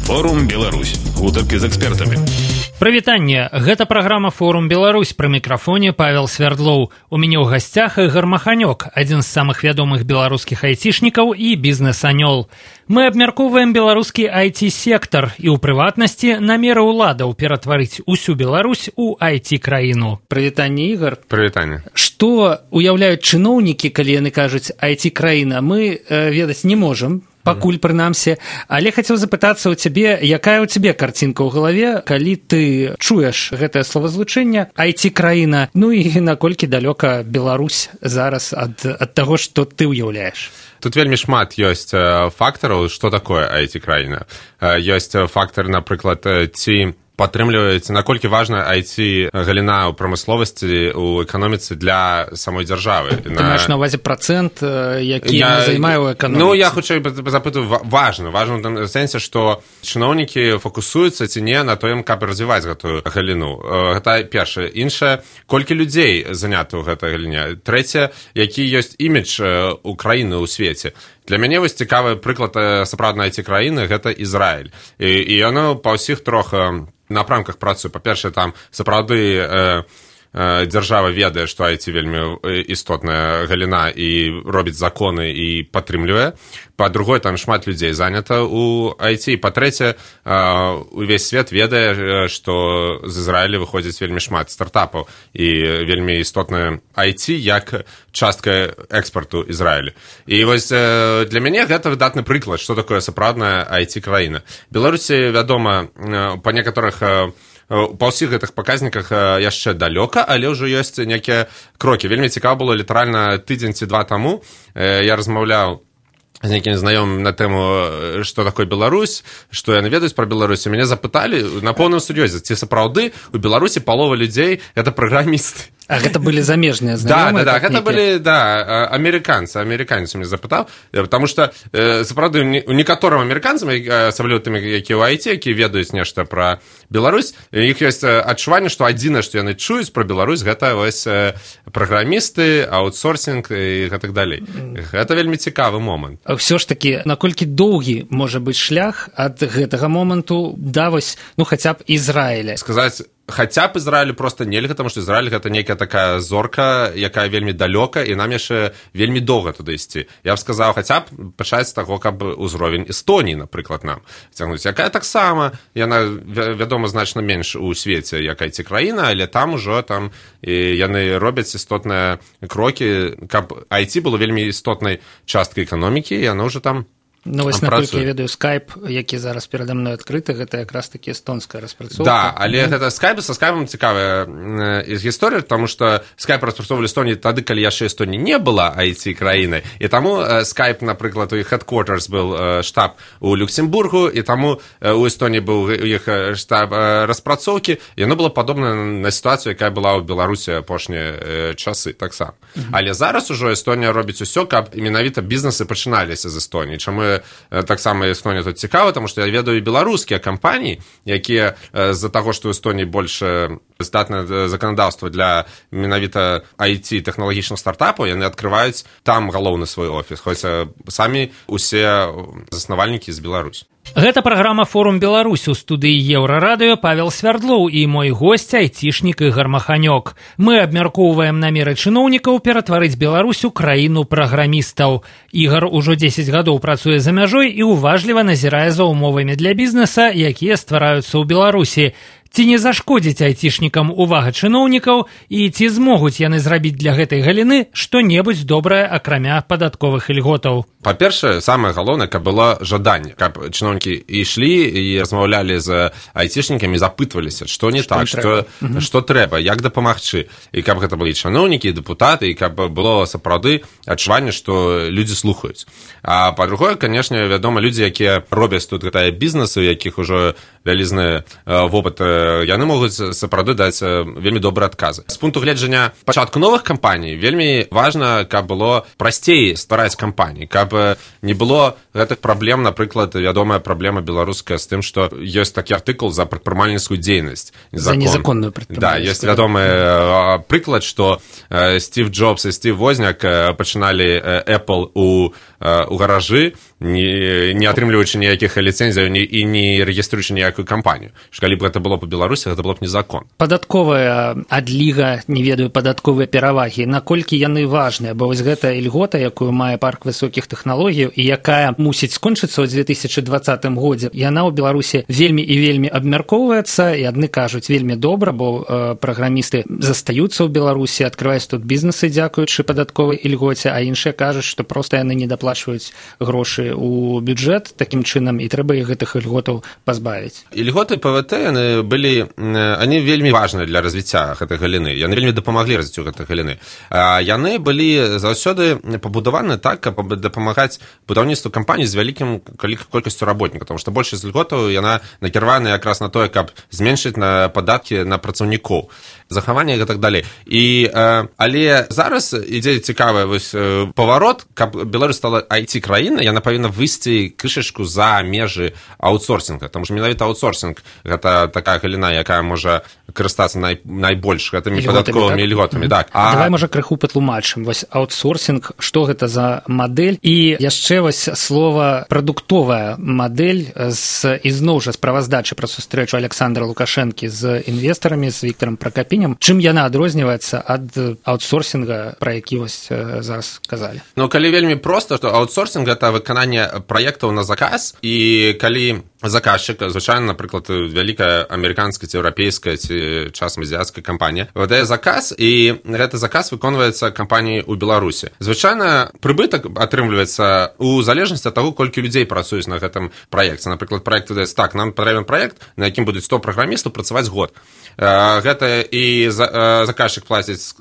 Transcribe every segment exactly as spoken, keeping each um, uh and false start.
Форум Беларусь. Гутаркі з экспертамі. Прывітанне. Гэта праграма Форум Беларусь. Пры мікрафоне Павел Свердлоў. У мяне ў гасцях Ігор Маханёк, адзін з самых вядомых беларускіх айцішнікаў і бізнес-анёл. Мы абмяркоўваем беларускі ай ти-сектар і, ў прыватнасці, намеры ўладаў ператварыць усю Беларусь у ай ти-краіну. Прывітанне, Ігор. Прывітанне. Што уяўляюць чыноўнікі, калі яны кажуць ай ти-краіна, мы э, ведаць не можам. Пакуль, прынамсі. Але хацеў запытацца ў цябе, якая ў цябе карцінка ў галаве, калі ты чуеш гэтае словазлучэнне ай ти-краіна, ну і наколькі далёка Беларусь зараз ад, ад таго, што ты ўяўляеш? Тут вельмі шмат ёсць фактараў, што такое ай ти-краіна. Ёсць фактар, напрыклад, ці падтрымліваецца, наколькі важна ай ти-галіна ў прамысловасці, у эканоміцы для самой дзяржавы. Ты на... маеш на ўвазе працэнт, які я... займае ў эканоміцы? Ну, я хутчэй запытаю, важна. Важна ў тым сэнсе, што чыноўнікі фокусуюцца ці не на тым, каб развіваць гэтую галіну. Гэта першае. Іншае, колькі людзей занята ў гэтай галіне. Трэцяе, які ёсць імідж у краіны ў свеце. Для мяне вось цікавы прыклад сапраўднай ай ти-краіны – гэта Ізраіль. І, і яно па ўсіх трох напрамках працуе. Па-першае, там сапраўды э, э, дзяржава ведае, што ай ти вельмі істотная галіна і робіць законы і падтрымлівае. Па-другое, там шмат людзей занята ў ай ти. Па-трэцяе, увесь свет ведае, што з Ізраіля выходзіць вельмі шмат стартапаў і вельмі істотная ай ти як частка экспарту Ізраіля. І вось для мяне гэта выдатны прыклад, што такое сапраўдная ай ти-краіна. Беларусі, вядома, па некаторых па ўсіх гэтых паказніках яшчэ далёка, але ўжо ёсць нейкія крокі. Вельмі цікава было літаральна тыдзень ці два таму. Я размаўляў з нейкім знаёмым на тэму, што такое Беларусь, што яны ведаюць пра Беларусь. Мяне запыталі на поўным сур'ёзе, ці сапраўды у Беларусі палова людзей – гэта праграмісты. А гэта былі замежныя знаёмыя? Да, да, да, гэта былі, да, амерыканцы. Амерыканец мяне запытаў, потому што, сапраўды, у некаторым амерыканцам, асабліва тым, якія ў ай ти, якія ведаюць нешта пра Беларусь, іх ёсць адчуванне, што адзінае, што яны чуюць пра Беларусь, гэта вось праграмісты, аутсорсінг і гэтак далей. Гэта вельмі цікавы момант. Ўсё ж такі, наколькі доўгі можа быць шлях ад гэтага моманту да вось, ну, хаця б Ізраіля? Сказаць, хаця б Ізраілю проста нельга, таму што Ізраіль гэта нейкая такая зорка, якая вельмі далёка, і нам яшчэ вельмі доўга туды ісці. Я б сказаў, хаця б пачаць з таго, каб узровень Эстоніі, напрыклад, нам цягнуць. Якая таксама, яна, вядома, значна менш у свеце, як ай ти-краіна, але там ужо там і яны робяць істотныя крокі, каб ай ти было вельмі істотнай часткай эканомікі, і яно ўжо там. Ну, вось, наколькі я ведаю, Skype, які зараз перада мной адкрыты, гэта якраз такі эстонская распрацоўка. Да, але mm. гэта Skype, са Skype цікавая э, гісторыя, таму што Skype распрацоўвалі Эстоніі тады, калі яшчэ Эстонія не была ай ти-краінай, і таму э, Skype, напрыклад, у іх headquarters был э, штаб у Люксембургу, і таму э, у Эстоніі быў у іх штаб э, распрацоўкі, і яно было падобна на сітуацыю, якая была ў Беларусі апошнія э, часы таксама. Mm-hmm. Але зараз ужо Эстонія робіць усё, каб менавіта бізнесы пачыналіся з Эстоніі, чаму таксама Эстонія тут цікава, таму што я ведаю беларускія кампаніі, якія з-за таго, што ў Эстонії больш здатнае заканадаўства для менавіта ай ти тэхналагічных стартапаў, яны адкрываюць там галоўны свой офіс, хоць самі усе заснавальнікі з Беларусі. Гэта праграма «Форум Беларусь», у студыі Еўрарадыё Павел Свердлоў і мой госць айцішнік Ігор Маханёк. Мы абмяркоўваем намеры чыноўнікаў ператварыць Беларусь у краіну праграмістаў. Ігор ужо дзесяць гадоў працуе за мяжой і уважліва назірае за умовамі для бізнеса, якія ствараюцца ў Беларусі. Ці не зашкодзіць айцішнікам увага чыноўнікаў і ці змогуць яны зрабіць для гэтай галіны што-небудзь добрае, акрамя падатковых ільготаў? Па-першае, самае галоўнае, каб было жаданне, каб чыноўнікі ішлі і размаўлялі з айцішнікамі, запытваліся, што не што так, што, mm-hmm. што трэба, як дапамагчы. І каб гэта былі чыноўнікі, дэпутаты, і каб было сапраўды адчуванне, што людзі слухаюць. А па-другое, канешне, вядома, людзі, якія робяць тут гэтыя бізнесы, у якіх ужо вялізны вопыт, яны могуць сапраўды даць вельмі добрыя адказы. З пункту гледжання пачатку новых кампаній вельмі важна, каб было прасцей ствараць кампаніі, каб не было гэтых праблем, напрыклад, вядомая праблема беларуская з тым, што ёсць такі артыкул за прадпрымальніцкую дзейнасць. За незаконную прадпрымальніцкую. Да, ёсць вядомы прыклад, што Стив Джобс і Стив Возняк пачыналі Apple у у гаражы, не, не атрымліваючы ніякіх ліцэнзіяў і не рэгіструючы ніякую кампанію. Калі б гэта было па Беларусі, гэта было б незакон. Падатковая адліга, не ведаю, падатковыя перавагі, наколькі яны важныя, бо вось гэта ільгота, якую мае парк высокіх тэхналогій і якая мусіць скончыцца ў две тысячы дваццатым годзе, яна ў Беларусі вельмі і вельмі абмяркоўваецца, і адны кажуць вельмі добра, бо э, праграмісты застаюцца ў Беларусі, адкрываюць тут бізнесы дзякуючы падатковай ільгоце, а іншыя кажуць, што проста яны не даплачваюць грошы у бюджэт такім чынам, і трэба іх гэтых ільготаў пазбавіць. Ільготы ПВТ яны былі, они вельмі важныя для развіцця гэтай галіны, яны вельмі дапамаглі развіццю гэтай галіны. Яны былі заўсёды пабудаваны так, каб дапамагаць будаўніцтву кампаній з вялікім колькасцю работнікаў, тому што большасць ільготаў яна накіравана якраз на тое, каб зменшыць на падаткі на працаўнікоў, захаванне і так далей. І, але зараз ідзе цікавы вось паварот, каб Беларусь стала ай ти-краіна, яна павінна выйсці крышачку за межы аутсорсінга, тому што менавіта аутсорсінг гэта такая галіна, якая можа карыстацца най, найбольш гэтымі падатковымі ільготамі. Так? А... Давай, можа, крыху патлумачым. Вось аутсорсінг, што гэта за мадэль? І яшчэ вось слова прадуктовая мадэль з, ізноў жа справаздачы пра сустрэчу Александра Лукашэнкі з інвестарамі, з Віктарам Пракапінем. Чым яна адрозніваецца ад аутсорсінга, пра які вось зараз казалі? Ну, калі вельмі проста, што аутсорсінг гэта выкананне праектаў на заказ, і калі заказчык, звычайна, напрыклад, вялікая амерыканская ці еўрапейская ці часам азіяцкая кампанія выдае заказ, і гэты заказ выконваецца кампаніяй у Беларусі. Звычайна прыбытак атрымліваецца у залежнасці ад таго, колькі людзей працуюць на гэтым праекце. Напрыклад, праект выдаецца так, нам патрэбен праект, на якім будуць сто праграмістаў працаваць год. Гэта і заказчык плаціць,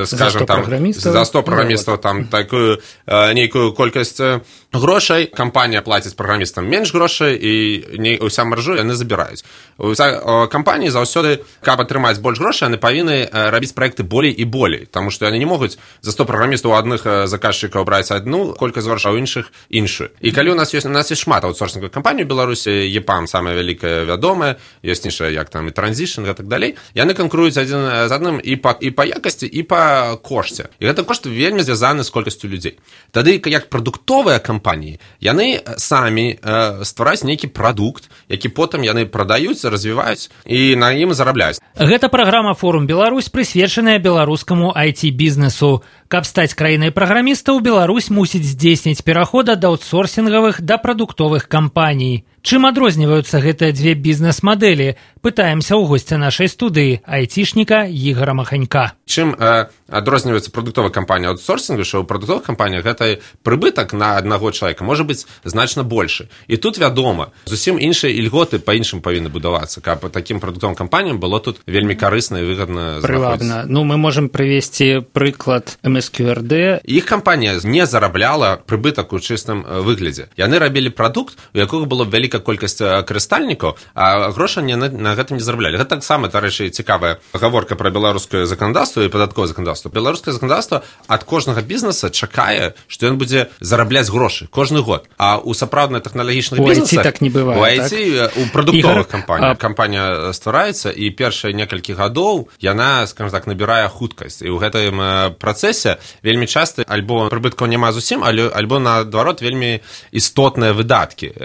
скажем, там за сто праграмістаў там такую нейкую колькасць грошай, кампанія плаціць праграмістам менш грошай, і не ўся маржу яны забіраюць. Уся кампаніі заўсёды, каб атрымаць больш грошай, яны павінны рабіць праекты болей і болей, таму што яны не могуць за сто праграмістаў у адных заказчыкаў браць адну колькасць грошай, а ў іншых іншую. І калі у нас ёсць, у нас ёсць шмат аутсорсінговых кампаній у Беларусі, ЕПАМ самая вялікая вядомая, ёсць іншая, як там і Транзішн, і так далей, яны канкуруюць адзін з адным і па, і па якасці, і па кошце. І гэта кошт вельмі звязаны з колькасцю людзей. Тады, як прадуктовыя кампаніі, яны самі э, ствараюць нейкі прадукт, які потым яны прадаюць, развіваюць і на ім зарабляюць. Гэта праграма «Форум Беларусь», прысвечаная беларускаму ай ти-бізнесу. Каб стаць краінай праграмістаў, Беларусь мусіць здзейсніць пераход ад аутсорсінгавых да прадуктовых кампаній. Чым адрозніваюцца гэтыя дзве бізнес-мадэлі? Пытаемся ў госця нашай студыі, айцішніка Ігора Маханька. Чым э, адрозніваецца прадуктовая кампанія ад аутсорсінгу, што ў прадуктовых кампаніях гэта прыбытак на аднаго чалавека можа быць значна большы. І тут, вядома, зусім іншыя ільготы па-іншым павінны будавацца, каб такім прадуктовым кампаніям было тут вельмі карысна і выгадна знаходзіцца. Ну, мы можам прывесці прыклад эм эс кью эр ди. Іх кампанія не зарабляла прыбытак у чыстым выглядзе. Яны рабілі прадукт, у якога было вялікая колькасць карыстальнікаў, а грошы на, на гэтым не зараблялі. Гэта таксама, дарэчы, цікавая гаворка пра беларускае заканадаўства і падатковае заканадаўства. Беларускае заканадаўства ад кожнага бізнеса чакае, што ён будзе зарабляць грошы кожны год. А ў сапраўдных тэхналагічных бізнесах, так не бывае, у ай ти, так? У прадуктовых кампаніях. А... Кампанія ствараецца, і першыя некалькі гадоў яна, скажем так, набірае хуткасць. І ў гэтым працэсе вельмі часта альбо прыбыткаў няма зусім, альбо, наадварот, вельмі істотныя выдаткі.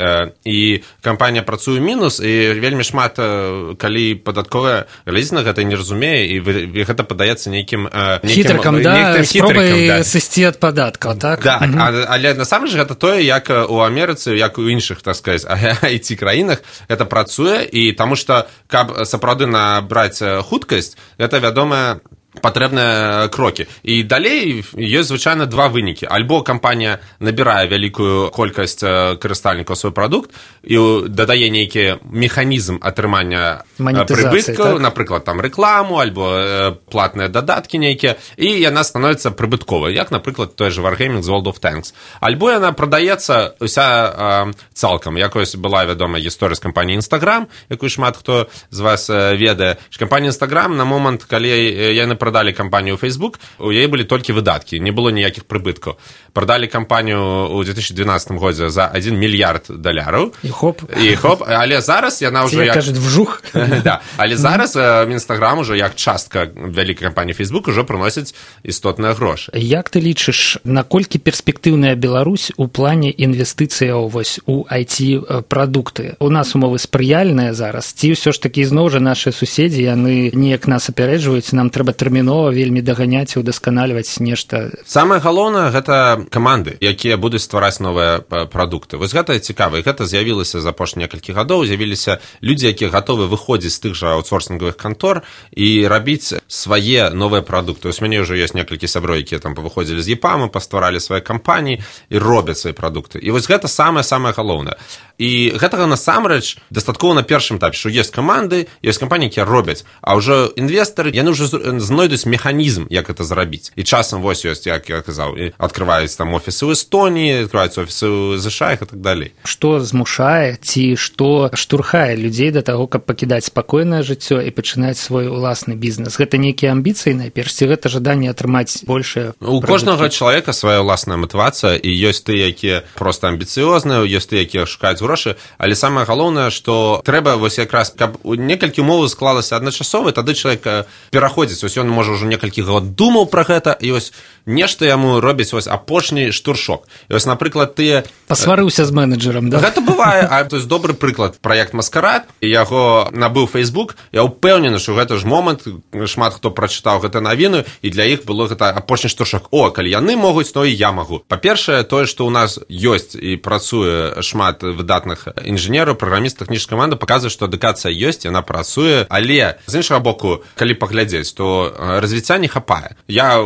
І кампанія працуе мінус, і вельмі шмат, калі падатковая глядзіць на гэта, не разумее, і гэта падаецца нейкім... Хітрыкам, да, спробай сысці ад падаткаў, так? Да, угу. Але насамрэч гэта тое, як у Амерыцы, як у іншых, так сказаць, ай ти-краінах гэта працуе, і таму што, каб сапраўды набраць хуткасць, гэта, вядома, патрэбныя крокі. І далей ёсць звычайна два вынікі. Альбо кампанія набірае вялікую колькасць карыстальнікаў свой прадукт і дадае нейкі механізм атрымання прыбыткаў, напрыклад, там рэкламу, альбо платныя дадаткі нейкія, і яна становіцца прыбытковай, як, напрыклад, той же Wargaming з World of Tanks. Альбо яна прадаецца ўся э, цалкам. Якось была вядомая гісторыя з кампаніяй Instagram, якую шмат хто з вас ведае. Кампанія Instagram на момант, калі яны продалі кампанію Facebook, у яе былі толькі выдаткі, не было ніякіх прыбыткаў. Продалі кампанію ў две тысячи двенадцатым годзе за один мільярд даляраў. І хоп. І хоп, але зараз яна ўжо як... кажуць, вжух. Да. Але зараз Інстаграм ужо як частка вялікай кампаніі Facebook ужо прыносіць істотныя грошы. Як ты лічыш, наколькі перспектыўная Беларусь у плане інвестыцыяў вось у ай ти-прадукты? У нас умовы спрыяльныя зараз, ці ўсё ж такі зноў жа нашыя суседзі, яны неяк нас апярэджваюць, нам трэба тэрмінова вельмі даганяць і удасканальваць нешта. Самае галоўнае гэта каманды, якія будуць ствараць новыя прадукты. Вось гэта цікава, і гэта з'явілася за апошнія некалькі гадоў, з'явіліся людзі, якія гатовы выходзіць з тых жа аутсорсінговых кантор і рабіць свае новыя прадукты. Вось мяне ўжо ёсць некалькі сяброў, якія там павыходзілі з ЕПАМа, пастваралі свае кампаніі і робяць свае прадукты. І вось гэта самае-самае галоўнае. І гэтага насамрэч дастаткова на першым этапе, што ёсць каманды, ёсць кампаніі, якія робяць, а ўжо інвестары, яны ўжо знойдуць механізм, як гэта зрабіць. І часам вось ёсць, як я казаў, адкрываюць там офісы ў Эстоніі, адкрываюць офісы ў ЗША і так далей. Што змушае ці што штурхае людзей да таго, каб пакідаць спакойнае жыццё і пачынаць свой уласны бізнес? Гэта нейкія амбіцыі, найперш, ці гэта жаданне атрымаць большае? У кожнага чалавека свая ўласная матывацыя, і ёсць тыя, якія проста амбіцыёзныя, ёсць тыя, якія шукаюць грошы, але самае галоўнае, што трэба вось якраз, каб некалькі умоў склалася адначасова, тады чалавек пераходзіць, вось ён можа ўжо некалькі год думаў пра гэта, і вось нешта яму робіць вось апошні штуршок. І вось, напрыклад, тыя... Пасварыўся з менеджерам, да? Гэта бывае, а то есть добры прыклад, праект «Маскарад», яго набыў Facebook, я ўпэўнены, што гэта ж момант, шмат хто прачытаў гэта навіну, і для іх было гэта апошні штуршок. О, калі яны могуць, то і я магу. Па-першае, тое, што ў нас ёсць і працуе шмат выдатных інжынераў, праграмістаў, тэхнічнай каманды, паказвае, што адукацыя ёсць, яна працуе, але з іншага боку, калі паглядзець, то развіцця не хапае. Я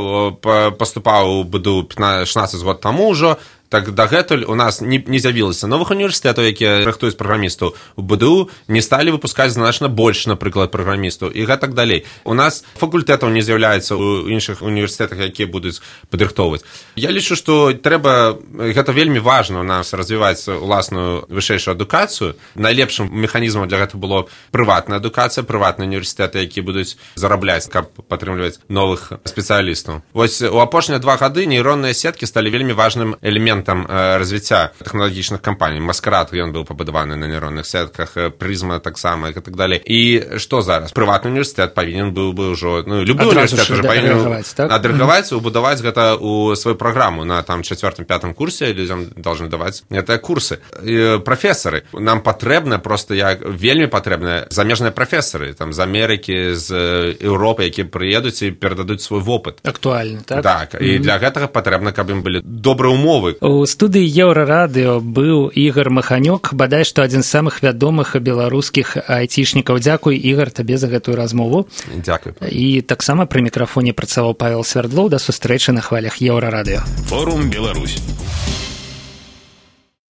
паступаў у БДУ шаснаццаць год таму ўжо, так дагэтуль у нас не, не з'явілася новых універсітэтаў, якія рыхтуюць праграмістаў. У БДУ не сталі выпускаць значна больш, напрыклад, праграмістаў і гэтак далей. У нас факультэтаў не з'яўляецца ў іншых універсітэтах, якія будуць падрыхтоўваць. Я лічу, што трэба, гэта вельмі важна у нас развіваць уласную вышэйшую адукацыю. Найлепшым механізмам для гэта было прыватная адукацыя, прыватныя універсітэты, якія будуць зарабляць, каб падтрымліваць новых спецыялістаў. Вось у апошнія два гады нейронныя сеткі сталі вельмі важным элементам там развіцця тэхналагічных кампаній. Маскарад, ён быў пабудаваны на нейронных сетках, Прызма таксама і так далей. І што зараз? Прыватны універсітэт павінен быў бы ўжо, ну, любы універсітэт ўжо павінен адрэгаваць, убудаваць гэта ў сваю праграму. На там чацвёртым-пятым курсе людзям должны даваць гэтыя курсы. І прафесары. Нам патрэбна проста, як вельмі патрэбна замежныя прафесары, там з Амерыкі, з Еўропы, якія прыедуць і перададуць свой вопыт. Актуальны, так? Так, і mm-hmm. для гэтага патрэбна, каб ім былі добрыя умовы. У студыі Еўрарадыё быў Ігар Маханёк, бадай што адзін з самых вядомых беларускіх айцішнікаў. Дзякуй, Ігар, табе за гэтую размову. Дзякуй. І таксама пры мікрафоне працаваў Павел Свярдлоў. Да сустрэчы на хвалях Еўрарадыё. Форум Беларусь.